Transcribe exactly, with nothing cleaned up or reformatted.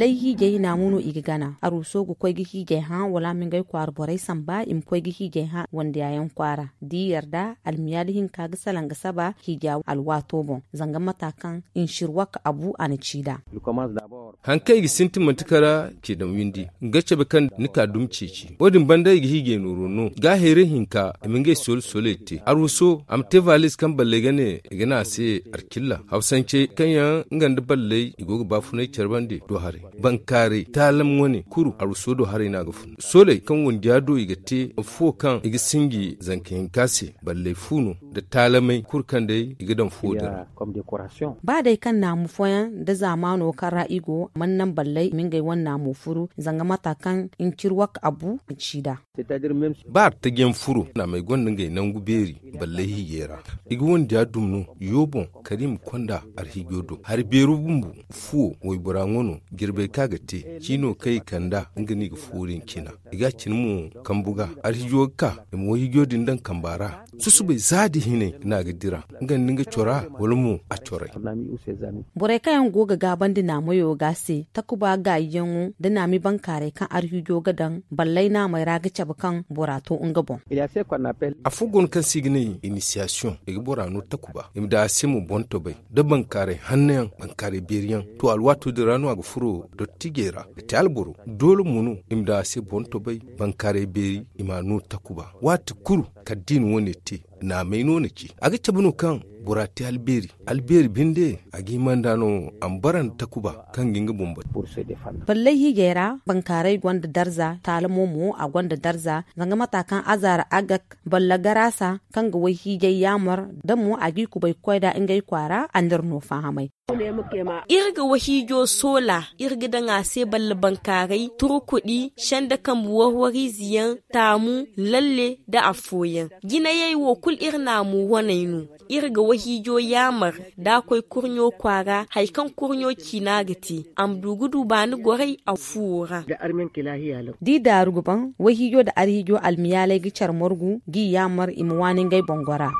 Lay hiijay naamu no i ga gana. Aruuso ga koy ga hiijay hã wala a ma ngey kwaara borey samba i ma koy ga hiijay hã wandiyaayaŋ kwaara. Da i yarda almiyaali hinka ga salaŋ ga saba hiija alwaato boŋ. Zanga mata kaŋ nsirwak abu a na ci nd'a. Haŋ kaŋ i ga sintin manti kala ce daŋ windi, nga cabe kaŋ ni ka dumi ceeci wo- din banda i ga hiijay nooro no ga hayray hinka i ma ngey soola soolay te. Aruuso a ma te valiz kaŋ balley ga ne i ga ne a se arkilla hawsance kaŋ yaŋ nga nda balley i go ga baafunay care bande do haray. Bankaaray taalam wane kuru aruuso do haray no a ga fun sooley kaŋ wandiya do i ga te. Affo kaŋ i ga sinji zanka hinka se balley fu no nda taalamey kulu kaŋ day i ga daŋ fuwo din ra. Ba day kaŋ naamu fooyaŋ nda zaamaano kaŋ ra i go mana naŋ balley i ma ngey wane naamu furu zanga mata kaŋ ncirwak abu a ci nd'a. Ba artajiyaŋ furo naamey gonda ngey nangu beeri balley hiijay ra. I ga wandiya dumi no yo boŋ kala i ma konda arhiijo do hari beero bumbo. Fuwo waybora ŋwa no jirbey kaŋ a ga te ciino kaŋ i kand'a nga no i ga fuwo din cina. I ga a cina mo kambu ga arhiijo ga ka i ma wayhiijo din daŋ kamba ra. Susubay za da hinay no a ga dira nga nda nga cora wala mo a coray. Borey kaŋ yaŋ go ga gaabandi naamoyo ga se takuba gaayiyaŋo nda naami bankaaray kaŋ arhiijo ga daŋ ballay naamey ra ga cabe kaŋ bora to nga boŋ. Afo go no kaŋ se i ga ne inisiyasiyoŋ i ga bora no takuba i ma daŋ a se mo boŋ tobay da bankaaray hanno yaŋ bankaaray beeri yaŋ. To alwaato din ra no a ga furo dottijey ra ga te alboro doole mo no i ma daŋ a se boŋ tobay bankaaray beeri i m'a no takuba waati kulu kala da i na wo- ne te. Naamey no na ci a ga cabe no kaŋ bora te albeeri albeeri binde a ga hima nd'a no a ma bara nda takuba kaŋ ga nga boŋ batu. Balley hiijay ra bankaaray gonda darza taalamo mo a gonda darza zanga mata kaŋ azaara agak balla garaasa kaŋ ga wayhiijay yaamar da mo a g'i kubay ga koy nd'a ngey kwaara a n'iri no faahamay. Iri ga wahiijo soola iri ga daŋ a se balla bankaaray turkuɗi senda kambe warwariize yaŋ taamu lalle nda afooyaŋ. Jinayey wo kulu iri naamu waney no. Iri ga wahiijo yaamar da a koy kurɲo kwaara hari kaŋ kurɲo ciina ga te a ma du ga du baani goray a fuwo ra. Da i daaru ga ban wayhiijo nda arhiijo almiyaaley ga care margu g'i yaamar i ma waani ngey boŋ gora.